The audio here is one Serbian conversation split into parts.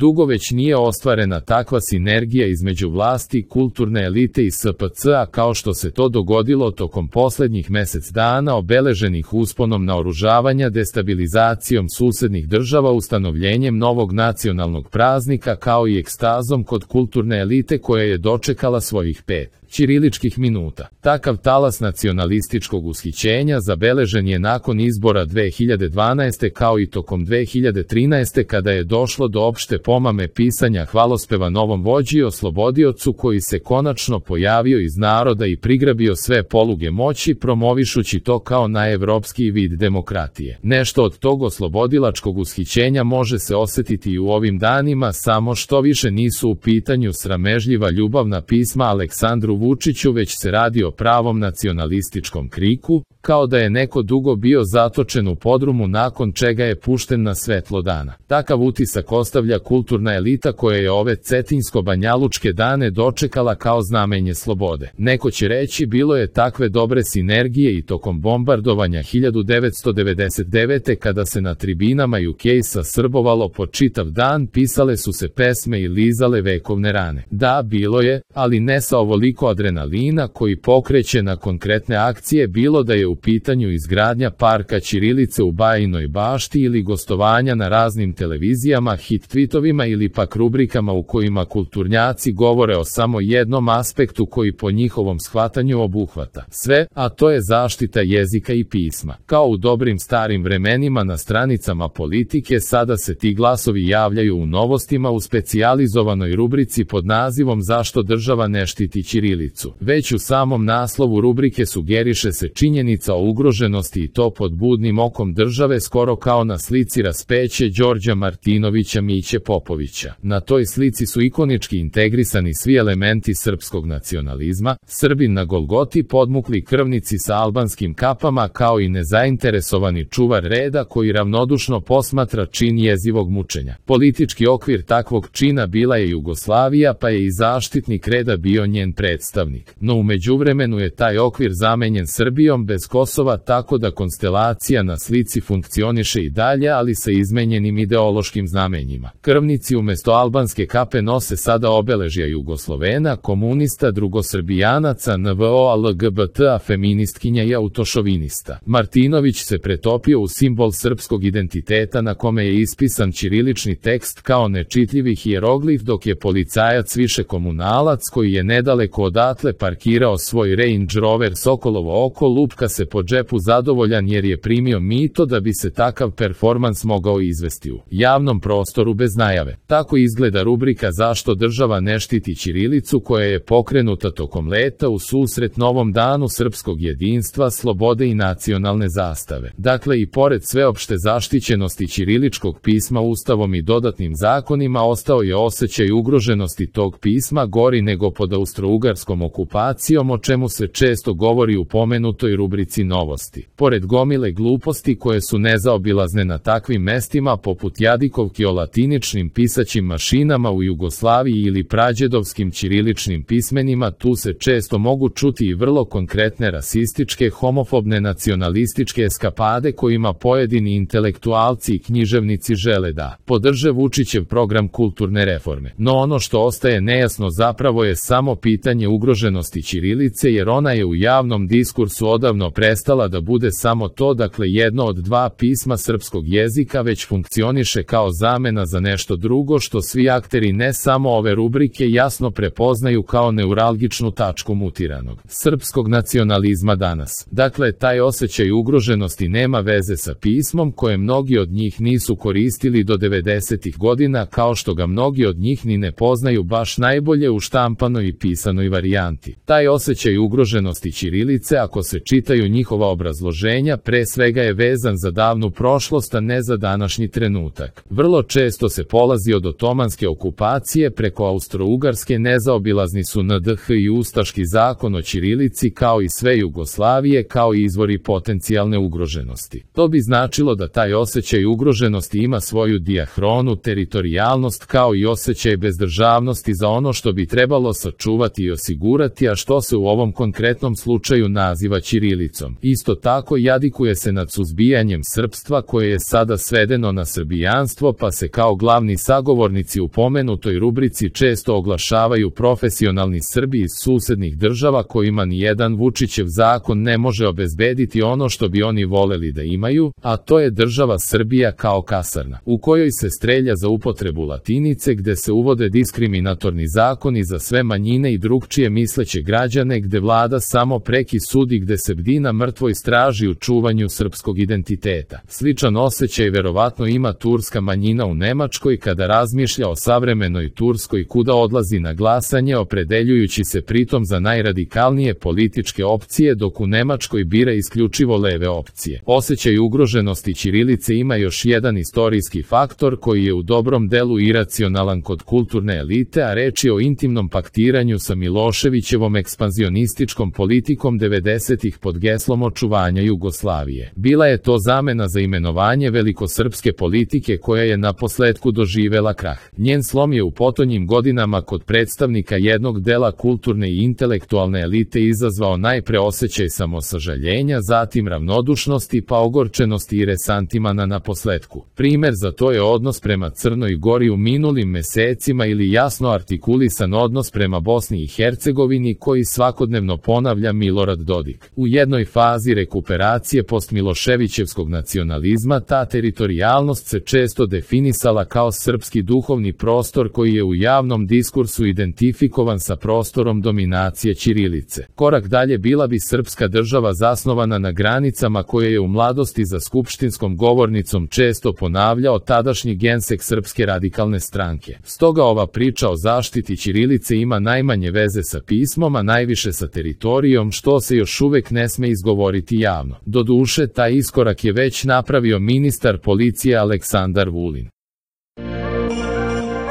Dugo već nije ostvarena takva sinergija između vlasti, kulturne elite i SPC-a kao što se to dogodilo tokom posljednjih mjesec dana obeleženih usponom naoružavanja, destabilizacijom susednih država, ustanovljenjem novog nacionalnog praznika kao i ekstazom kod kulturne elite koja je dočekala svojih 5 ćiriličkih minuta. Takav talas nacionalističkog ushićenja zabeležen je nakon izbora 2012. kao i tokom 2013. kada je došlo do opšte pomame pisanja hvalospeva novom vođi i oslobodiocu koji se konačno pojavio iz naroda i prigrabio sve poluge moći promovišući to kao najevropskiji vid demokratije. Nešto od tog oslobodilačkog ushićenja može se osjetiti i u ovim danima, samo što više nisu u pitanju sramežljiva ljubavna pisma Aleksandru Vučiću, već se radi o pravom nacionalističkom kriku, kao da je neko dugo bio zatočen u podrumu nakon čega je pušten na svetlo dana. Takav utisak ostavlja kulturna elita koja je ove cetinsko-banjalučke dane dočekala kao znamenje slobode. Neko će reći bilo je takve dobre sinergije i tokom bombardovanja 1999. kada se na tribinama UK-a srbovalo po čitav dan, pisale su se pesme i lizale vekovne rane. Da, bilo je, ali ne sa ovoliko adrenalina koji pokreće na konkretne akcije, bilo da je u pitanju izgradnja parka ćirilice u Bajinoj Bašti ili gostovanja na raznim televizijama, hit tweetovima ili pak rubrikama u kojima kulturnjaci govore o samo jednom aspektu koji po njihovom shvatanju obuhvata sve, a to je zaštita jezika i pisma. Kao u dobrim starim vremenima na stranicama politike, sada se ti glasovi javljaju u novostima u specijalizovanoj rubrici pod nazivom Zašto država ne štiti ćirilicu. Već u samom naslovu rubrike sugeriše se činjenica o ugroženosti i to pod budnim okom države, skoro kao na slici raspeće Đorđa Martinovića Miće Popovića. Na toj slici su ikonički integrisani svi elementi srpskog nacionalizma, Srbin na Golgoti, podmukli krvnici sa albanskim kapama kao i nezainteresovani čuvar reda koji ravnodušno posmatra čin jezivog mučenja. Politički okvir takvog čina bila je Jugoslavija, pa je i zaštitnik reda bio njen predstavnik. No u međuvremenu je taj okvir zamenjen Srbijom bez Kosova, tako da konstelacija na slici funkcioniše i dalje, ali sa izmenjenim ideološkim znamenjima. Krvnici umjesto albanske kape nose sada obeležja Jugoslovena, komunista, drugosrbijanaca, NVO, LGBT-a, feministkinja i autošovinista. Martinović se pretopio u simbol srpskog identiteta na kome je ispisan ćirilični tekst kao nečitljivi hijeroglif, dok je policajac više komunalac koji je nedaleko odatle parkirao svoj Range Rover Sokolovo oko, lupka se po džepu zadovoljan jer je primio mito da bi se takav performans mogao izvesti u javnom prostoru bez najave. Tako izgleda rubrika Zašto država ne štiti ćirilicu koja je pokrenuta tokom leta u susret novom danu srpskog jedinstva, slobode i nacionalne zastave. Dakle, i pored sveopšte zaštićenosti ćiriličkog pisma Ustavom i dodatnim zakonima, ostao je osjećaj ugroženosti tog pisma gori nego pod austrougarskom okupacijom, o čemu se često govori u pomenutoj rubrici novosti. Pored gomile gluposti koje su nezaobilazne na takvim mestima poput jadikovki o latiničnim pisaćim mašinama u Jugoslaviji ili prađedovskim ćiriličnim pismenima, tu se često mogu čuti i vrlo konkretne rasističke, homofobne, nacionalističke eskapade kojima pojedini intelektualci i književnici žele da podrže Vučićev program kulturne reforme. No ono što ostaje nejasno zapravo je samo pitanje ugroženosti ćirilice, jer ona je u javnom diskursu odavno prestala da bude samo to, dakle jedno od dva pisma srpskog jezika, već funkcioniše kao zamena za nešto drugo što svi akteri ne samo ove rubrike jasno prepoznaju kao neuralgičnu tačku mutiranog srpskog nacionalizma danas. Dakle, taj osjećaj ugroženosti nema veze sa pismom koje mnogi od njih nisu koristili do 90-ih godina, kao što ga mnogi od njih ni ne poznaju baš najbolje u štampanoj i pisanoj varijanti. Taj osjećaj ugroženosti ćirilice, ako se čitaju njihova obrazloženja, pre svega je vezan za davnu prošlost, a ne za današnji trenutak. Vrlo često se polazi od otomanske okupacije preko austrougarske, nezaobilazni su NDH i ustaški zakon o ćirilici kao i sve Jugoslavije kao i izvori potencijalne ugroženosti. To bi značilo da taj osjećaj ugroženosti ima svoju dijahronu, teritorijalnost kao i osjećaj bezdržavnosti za ono što bi trebalo sačuvati i osigurati, a što se u ovom konkretnom slučaju naziva ćirilicom. Isto tako jadikuje se nad suzbijanjem srpstva koje je sada svedeno na srbijanstvo, pa se kao glavni Tradicionalni sagovornici u pomenutoj rubrici često oglašavaju profesionalni Srbi iz susednih država kojima nijedan Vučićev zakon ne može obezbediti ono što bi oni voleli da imaju, a to je država Srbija kao kasarna, u kojoj se strelja za upotrebu latinice, gde se uvode diskriminatorni zakoni za sve manjine i drugčije misleće građane, gde vlada samo preki sudi, gde se bdi na mrtvoj straži u čuvanju srpskog identiteta. Sličan osjećaj verovatno ima turska manjina u Nemačkoj kada razmišlja o savremenoj Turskoj, kuda odlazi na glasanje, opredeljujući se pritom za najradikalnije političke opcije, dok u Nemačkoj bira isključivo leve opcije. Osjećaj ugroženosti ćirilice ima još jedan istorijski faktor koji je u dobrom delu iracionalan kod kulturne elite, a reč je o intimnom paktiranju sa Miloševićevom ekspanzionističkom politikom 90-ih pod geslom očuvanja Jugoslavije. Bila je to zamena za imenovanje velikosrpske politike koja je naposletku doživela krah. Njen slom je u potonjim godinama kod predstavnika jednog dela kulturne i intelektualne elite izazvao najpre osjećaj samosažaljenja, zatim ravnodušnosti pa ogorčenosti i resantimana naposletku. Primer za to je odnos prema Crnoj Gori u minulim mesecima ili jasno artikulisan odnos prema Bosni i Hercegovini koji svakodnevno ponavlja Milorad Dodik. U jednoj fazi rekuperacije postmiloševićevskog nacionalizma ta teritorijalnost se često definisala kao srpski duhovni prostor koji je u javnom diskursu identifikovan sa prostorom dominacije ćirilice. Korak dalje bila bi srpska država zasnovana na granicama koje je u mladosti za skupštinskom govornicom često ponavljao tadašnji gensek Srpske radikalne stranke. Stoga ova priča o zaštiti ćirilice ima najmanje veze sa pismom, a najviše sa teritorijom, što se još uvek ne sme izgovoriti javno. Doduše, taj iskorak je već napravio ministar policije Aleksandar Vulin.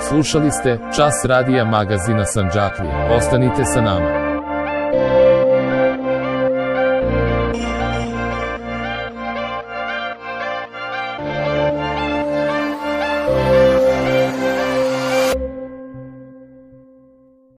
Slušali ste Čas radija magazina Sandžaklija. Ostanite sa nama.